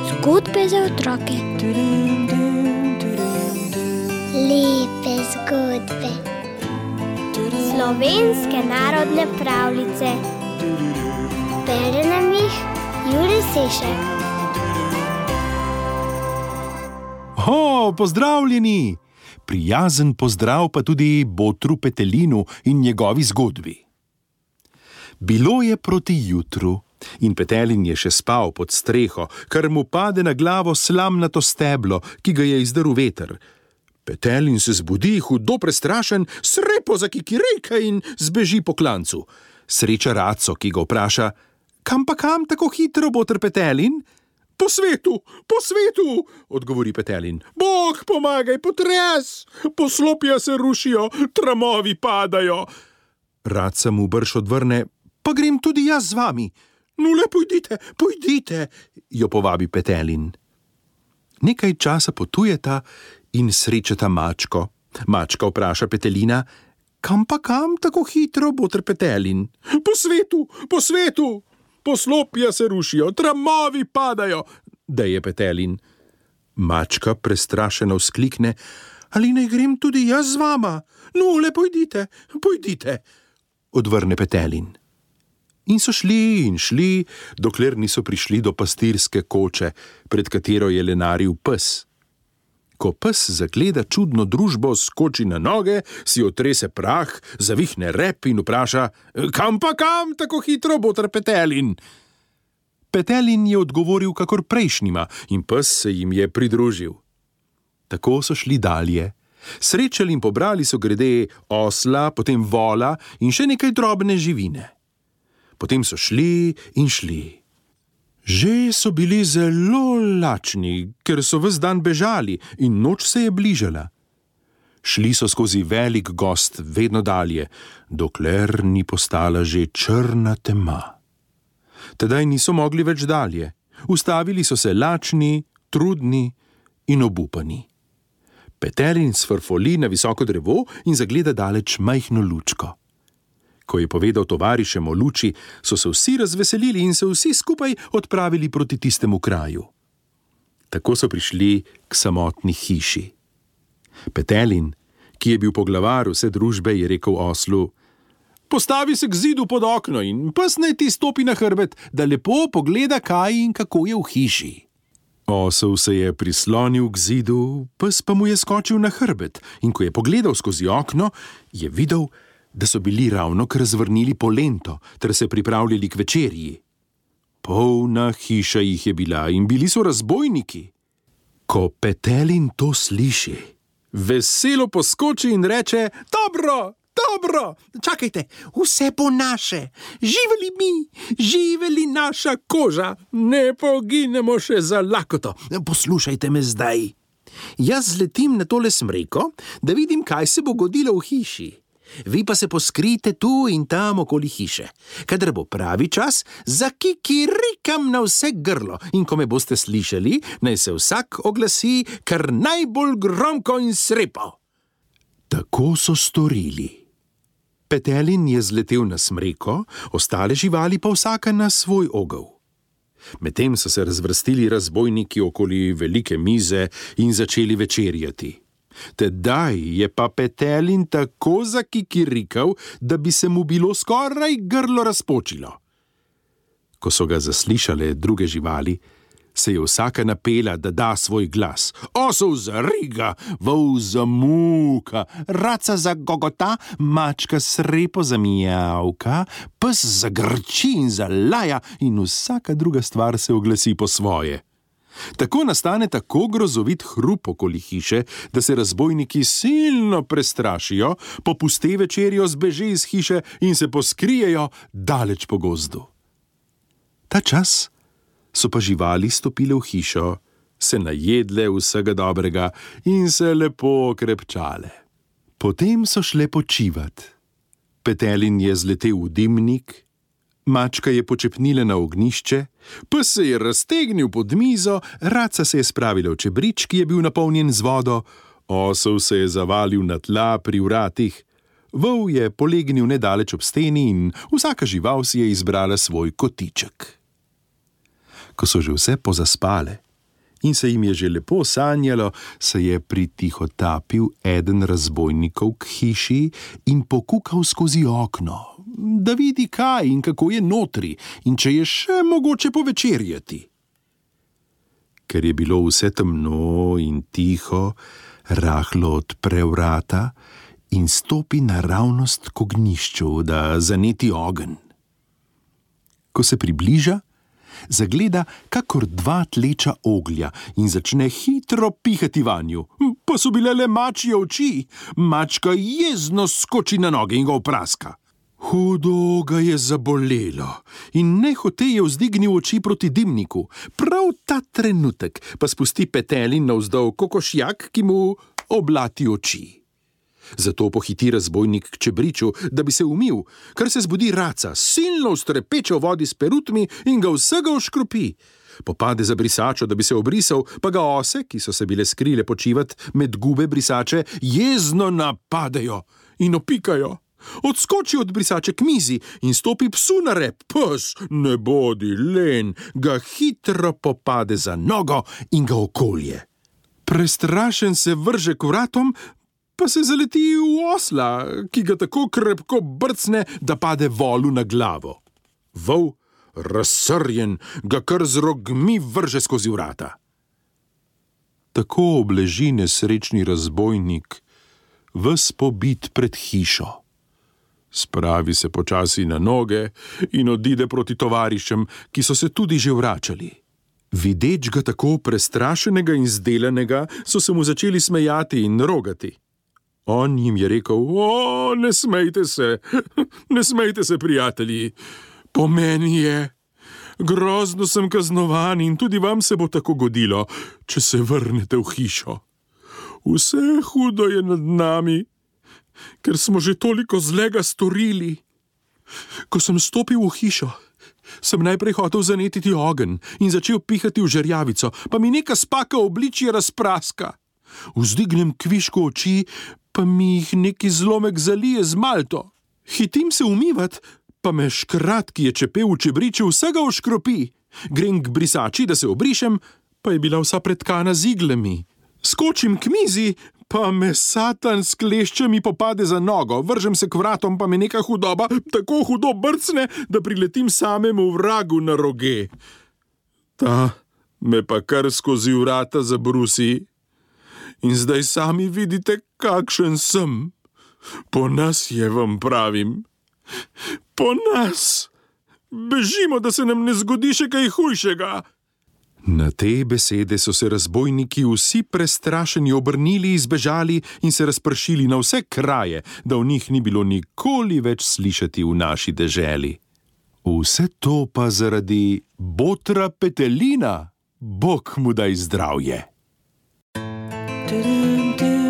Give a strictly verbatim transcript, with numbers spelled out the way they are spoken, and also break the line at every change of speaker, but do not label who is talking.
Zgodbe za otroke.
Lepe zgodbe.
Slovenske narodne pravljice. Bere nam jih Jurij Sešek.
Ho, pozdravljeni! Prijazen pozdrav pa tudi botru Petelinu in njegovi zgodbi. Bilo je proti jutru in Petelin je še spal pod streho, kar mu pade na glavo slamnato steblo, ki ga je izdrl veter. Petelin se zbudi, hudo prestrašen, srepo zakikirejka in zbeži po klancu. Sreča Raco, ki ga vpraša: kam pa kam tako hitro, boter Petelin? Po svetu, po svetu, odgovori Petelin. Bog pomagaj, potres, poslopja se rušijo, tramovi padajo. Raca mu brž odvrne: pa grem tudi jaz z vami. No le pojdite, pojdite, jo povabi Petelin. Nekaj časa potujeta in srečata mačko. Mačka vpraša Petelina: kam pa kam tako hitro, boter Petelin? Po svetu, po svetu, poslopja se rušijo, tramovi padajo, deje Petelin. Mačka prestrašeno vzklikne: ali naj grem tudi jaz z vama? No le pojdite, pojdite, odvrne Petelin. In so šli in šli, dokler niso prišli do pastirske koče, pred katero je lenaril pes. Ko pes zagleda čudno družbo, skoči na noge, si otrese prah, zavihne rep in vpraša: kam pa kam tako hitro, boter Petelin? Petelin je odgovoril kakor prejšnjima in pes se jim je pridružil. Tako so šli dalje. Srečali in pobrali so grede osla, potem vola in še nekaj drobne živine. Potem so šli in šli. Že so bili zelo lačni, ker so ves dan bežali in noč se je bližala. Šli so skozi velik gozd vedno dalje, dokler ni postala že črna tema. Tedaj niso mogli več dalje. Ustavili so se lačni, trudni in obupani. Petelin sfrfoli na visoko drevo in zagleda daleč majhno lučko. Ko je povedal tovarišem o luči, so se vsi razveselili in se vsi skupaj odpravili proti tistemu kraju. Tako so prišli k samotni hiši. Petelin, ki je bil poglavar vse družbe, je rekel oslu: postavi se k zidu pod okno in pes naj ti stopi na hrbet, da lepo pogleda, kaj in kako je v hiši. Osel se je prislonil k zidu, pes pa mu je skočil na hrbet in ko je pogledal skozi okno, je videl, da so bili ravno kar zvrnili polento ter se pripravljali k večerji. Polna hiša jih je bila in bili so razbojniki. Ko Petelin to sliši, veselo poskoči in reče: dobro, dobro, čakajte, vse po naše, živeli mi, živeli naša koža, ne poginemo še za lakoto. Poslušajte me zdaj. Jaz zletim na tole smreko, da vidim, kaj se bo godilo v hiši. Vi pa se poskrite tu in tam okoli hiše. Kadar bo pravi čas, zakikirikam na vse grlo in ko me boste slišali, naj se vsak oglasi kar najbolj gromko in srepo. Tako so storili. Petelin je zletel na smreko, ostale živali pa vsaka na svoj ogel. Medtem so se razvrstili razbojniki okoli velike mize in začeli večerjati. Tedaj je pa Petelin tako zakikirikal, da bi se mu bilo skoraj grlo razpočilo. Ko so ga zaslišale druge živali, se je vsaka napela, da da svoj glas. Osel zariga, vol zamuka, raca zagogota, mačka srepo zamijavka, pes zagrči in zalaja in vsaka druga stvar se oglasi po svoje. Tako nastane tako grozovit hrup okoli hiše, da se razbojniki silno prestrašijo, popuste večerjo, zbeže iz hiše in se poskrijejo daleč po gozdu. Ta čas so pa živali stopile v hišo, se najedle vsega dobrega in se lepo krepčale. Potem so šle počivat. Petelin je zletel v dimnik, mačka je počepnila na ognjišče, pes se je raztegnil pod mizo, raca se je spravila v čebrič, ki je bil napolnjen z vodo, osel se je zavalil na tla pri vratih, Vol je polegnil nedaleč ob steni in vsaka žival si je izbrala svoj kotiček. Ko so že vse pozaspale in se jim je že lepo sanjalo, se je pritihotapil eden razbojnikov k hiši in pokukal skozi okno, da vidi kaj in kako je notri in če je še mogoče povečerjati. Ker je bilo vse temno in tiho, rahlo odpre vrata in stopi naravnost k ognjišču, da zaneti ogenj. Ko se približa, zagleda kakor dva tleča oglja in začne hitro pihati vanju. Pa so bile le mačje oči. Mačka jezno skoči na noge in ga opraska. Hudo ga je zabolelo in nehote je vzdignil oči proti dimniku. Prav ta trenutek pa spusti petelin navzdol kokošjak, ki mu oblati oči. Zato pohiti razbojnik k čebriču, da bi se umil, kar se zbudi raca, silno vstrepeče v vodi s perutmi in ga vsega oškropi. Popade za brisačo, da bi se obrisal, pa ga ose, ki so se bile skrile počivat med gube brisače, jezno napadejo in opikajo. Odskoči od brisače k mizi in stopi psu na rep. Pes, ne bodi len, ga hitro popade za nogo in ga okolje. Prestrašen se vrže k vratom, pa se zaleti v osla, ki ga tako krepko brcne, da pade volu na glavo. Vol, razsrjen, ga kar z rogmi vrže skozi vrata. Tako obleži nesrečni razbojnik, ves pobit pred hišo. Spravi se počasi na noge in odide proti tovarišem, ki so se tudi že vračali. Videč ga tako prestrašenega in zdelanega, so se mu začeli smejati in rogati. On jim je rekel: O, ne smejte se, ne smejte se, prijatelji. Po meni je. Grozno sem kaznovan in tudi vam se bo tako godilo, če se vrnete v hišo. Vse hudo je nad nami, ker smo že toliko zlega storili. Ko sem stopil v hišo, sem najprej hotel zanetiti ogenj in začel pihati v žerjavico, pa mi neka spaka obličje razpraska. Vzdignem kvišku oči, pa mi jih neki zlomek zalije z malto. Hitim se umivat, pa me škrat, ki je čepel v čebriču, vsega oškropi. Grem k brisači, da se obrišem, pa je bila vsa pretkana z iglami. Skočim k mizi, pa me satan s kleščami popade za nogo. Vržem se k vratom, pa me neka hudoba tako hudo brcne, da priletim samemu vragu na roge. Ta me pa kar skozi vrata zabrusi. In zdaj sami vidite, kakšen sem. Po nas je, vam pravim. Po nas. Bežimo, da se nam ne zgodi še kaj hujšega. Na te besede so se razbojniki vsi prestrašeni obrnili, izbežali in se razpršili na vse kraje, da v njih ni bilo nikoli več slišati v naši deželi. Vse to pa zaradi botra Petelina. Bog mu daj zdravje. Do, do, do.